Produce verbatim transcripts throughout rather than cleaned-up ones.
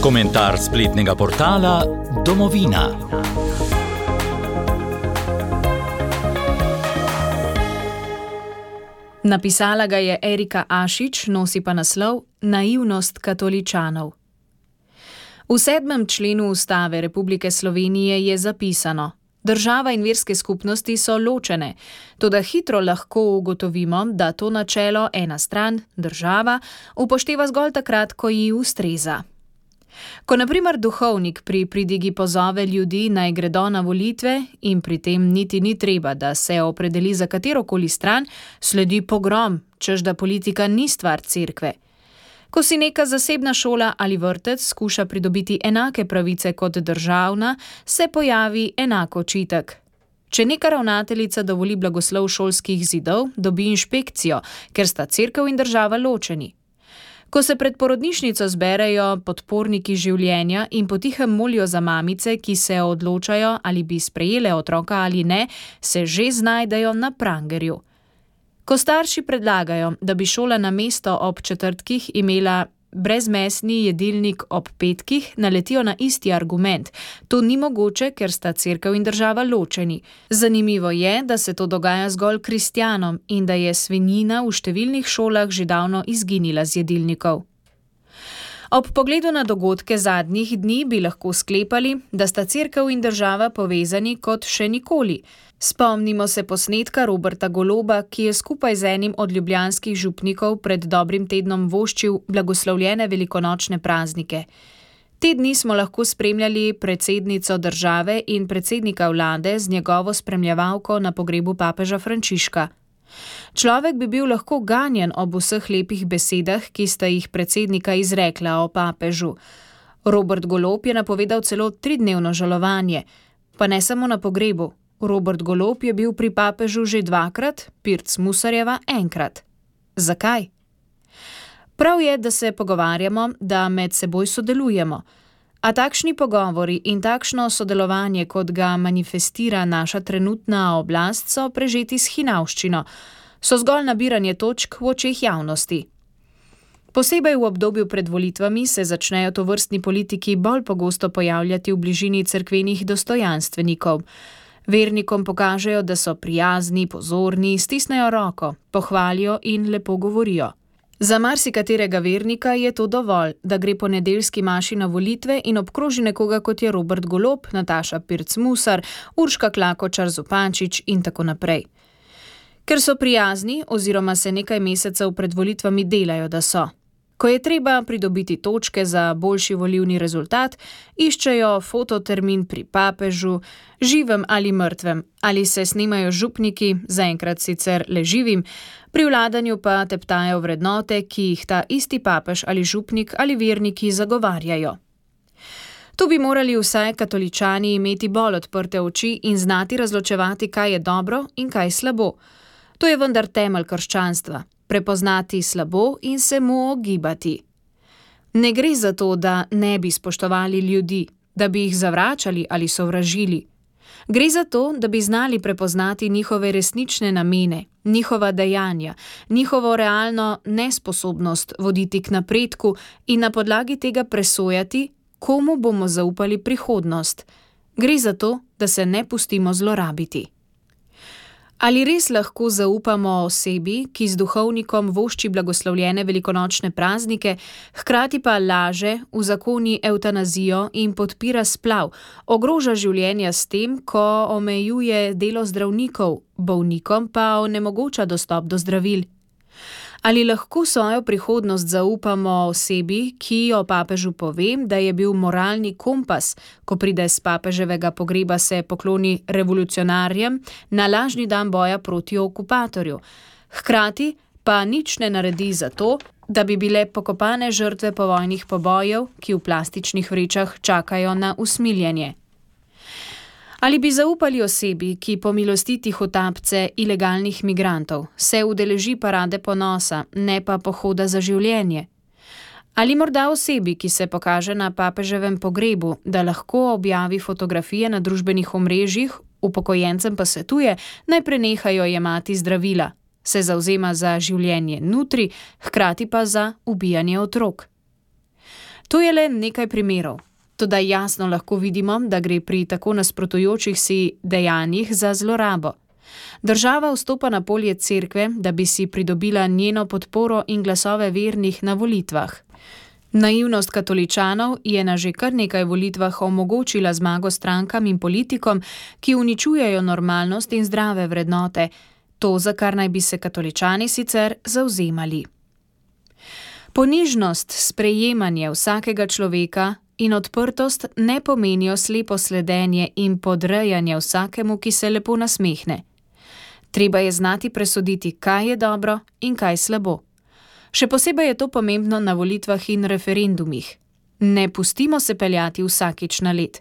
Komentar spletnega portala Domovina. Napisala ga je Erika Ašič, nosi pa naslov Naivnost katoličanov. V sedmem členu Ustave Republike Slovenije je zapisano: država in verske skupnosti so ločene, toda hitro lahko ugotovimo, da to načelo ena stran, država, upošteva zgolj takrat, ko ji ustreza. Ko na primer duhovnik pri pridigi pozove ljudi, naj gredo na volitve in pri tem niti ni treba, da se opredeli za katerokoli stran, sledi pogrom, češ da politika ni stvar cerkve. Ko si neka zasebna šola ali vrtec skuša pridobiti enake pravice kot državna, se pojavi enak očitek. Če neka ravnateljica dovoli blagoslov šolskih zidov, dobi inšpekcijo, ker sta cerkev in država ločeni. Ko se pred porodnišnico zberejo podporniki življenja in potihem molijo za mamice, ki se odločajo, ali bi sprejele otroka ali ne, se že znajdejo na prangerju. Ko starši predlagajo, da bi šola namesto ob četrtkih imela brezmesni jedilnik ob petkih, naletijo na isti argument. To ni mogoče, ker sta cerkev in država ločeni. Zanimivo je, da se to dogaja zgolj kristjanom in da je svinjina v številnih šolah že davno izginila z jedilnikov. Ob pogledu na dogodke zadnjih dni bi lahko sklepali, da sta cerkev in država povezani kot še nikoli. Spomnimo se posnetka Roberta Goloba, ki je skupaj z enim od ljubljanskih župnikov pred dobrim tednom voščil blagoslovljene velikonočne praznike. Te dni smo lahko spremljali predsednico države in predsednika vlade z njegovo spremljevalko na pogrebu papeža Frančiška. Človek bi bil lahko ganjen ob vseh lepih besedah, ki sta jih predsednika izrekla o papežu. Robert Golob je napovedal celo tridnevno žalovanje, pa ne samo na pogrebu. Robert Golob je bil pri papežu že dvakrat, Pirc Musarjeva enkrat. Zakaj? Prav je, da se pogovarjamo, da med seboj sodelujemo. A takšni pogovori in takšno sodelovanje, kot ga manifestira naša trenutna oblast, so prežeti s hinavščino, so zgolj nabiranje točk v očeh javnosti. Posebej v obdobju pred volitvami se začnejo tovrstni politiki bolj pogosto pojavljati v bližini cerkvenih dostojanstvenikov. Vernikom pokažejo, da so prijazni, pozorni, stisnejo roko, pohvalijo in lepo govorijo. Za marsikaterega vernika je to dovolj, da gre po nedeljski maši na volitve in obkroži nekoga, kot je Robert Golob, Nataša Pirc Musar, Urška Klakočar Zupančič in tako naprej. Ker so prijazni oziroma se nekaj mesecev pred volitvami delajo, da so. Ko je treba pridobiti točke za boljši volilni rezultat, iščejo fototermin pri papežu, živem ali mrtvem, ali se snemajo župniki, zaenkrat sicer le živim, pri vladanju pa teptajo vrednote, ki jih ta isti papež ali župnik ali verniki zagovarjajo. Tu bi morali vsaj katoličani imeti bolj odprte oči in znati razločevati, kaj je dobro in kaj slabo. To je vendar temelj krščanstva. Prepoznati slabo in se mu ogibati. Ne gre za to, da ne bi spoštovali ljudi, da bi jih zavračali ali sovražili. Gre za to, da bi znali prepoznati njihove resnične namene, njihova dejanja, njihovo realno nesposobnost voditi k napredku in na podlagi tega presojati, komu bomo zaupali prihodnost. Gre za to, da se ne pustimo zlorabiti. Ali res lahko zaupamo osebi, ki z duhovnikom vošči blagoslovljene velikonočne praznike, hkrati pa laže, uzakoni evtanazijo in podpira splav, ogroža življenja s tem, ko omejuje delo zdravnikov, bolnikom pa onemogoča dostop do zdravil? Ali lahko svojo prihodnost zaupamo osebi, ki o papežu pove, da je bil moralni kompas, ko pride s papeževega pogreba se pokloni revolucionarjem na lažni dan boja proti okupatorju, hkrati pa nič ne naredi za to, da bi bile pokopane žrtve povojnih pobojev, ki v plastičnih vrečah čakajo na usmiljenje? Ali bi zaupali osebi, ki po milosti tihotapce ilegalnih migrantov se udeleži parade ponosa, ne pa pohoda za življenje? Ali morda osebi, ki se pokaže na papeževem pogrebu, da lahko objavi fotografije na družbenih omrežjih, upokojencem pa svetuje, naj prenehajo jemati zdravila, se zavzema za življenje nutri, hkrati pa za ubijanje otrok? To je le nekaj primerov. Toda jasno lahko vidimo, da gre pri tako nasprotujočih si dejanjih za zlorabo. Država vstopa na polje cerkve, da bi si pridobila njeno podporo in glasove vernih na volitvah. Naivnost katoličanov je na že kar nekaj volitvah omogočila zmago strankam in politikom, ki uničujejo normalnost in zdrave vrednote, to, za kar naj bi se katoličani sicer zavzemali. Ponižnost, sprejemanje vsakega človeka in odprtost ne pomenijo slepo sledenje in podrejanje vsakemu, ki se lepo nasmehne. Treba je znati presoditi, kaj je dobro in kaj slabo. Še posebej je to pomembno na volitvah in referendumih. Ne pustimo se peljati vsakič na led.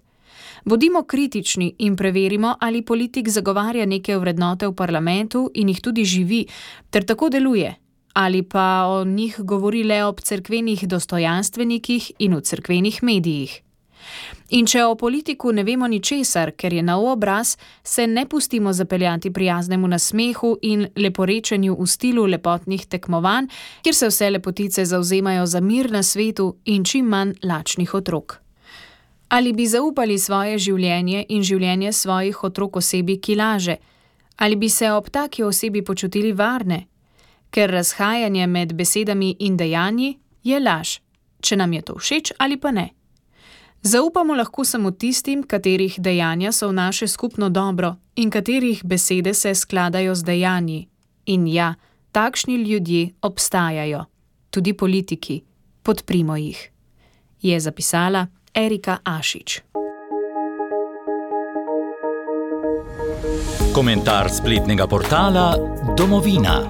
Bodimo kritični in preverimo, ali politik zagovarja neke vrednote v parlamentu in jih tudi živi, ter tako deluje, ali pa o njih govori le ob cerkvenih dostojanstvenikih in v cerkvenih medijih. In če o politiku ne vemo ničesar, ker je nov obraz, se ne pustimo zapeljati prijaznemu nasmehu in leporečenju v stilu lepotnih tekmovanj, kjer se vse lepotice zavzemajo za mir na svetu in čim manj lačnih otrok. Ali bi zaupali svoje življenje in življenje svojih otrok osebi, ki laže? Ali bi se ob taki osebi počutili varne? Ker razhajanje med besedami in dejanji je laž, če nam je to všeč ali pa ne. Zaupamo lahko samo tistim, katerih dejanja so v naše skupno dobro in katerih besede se skladajo z dejanji. In ja, takšni ljudje obstajajo. Tudi politiki. Podprimo jih. Je zapisala Erika Ašič. Komentar spletnega portala Domovina.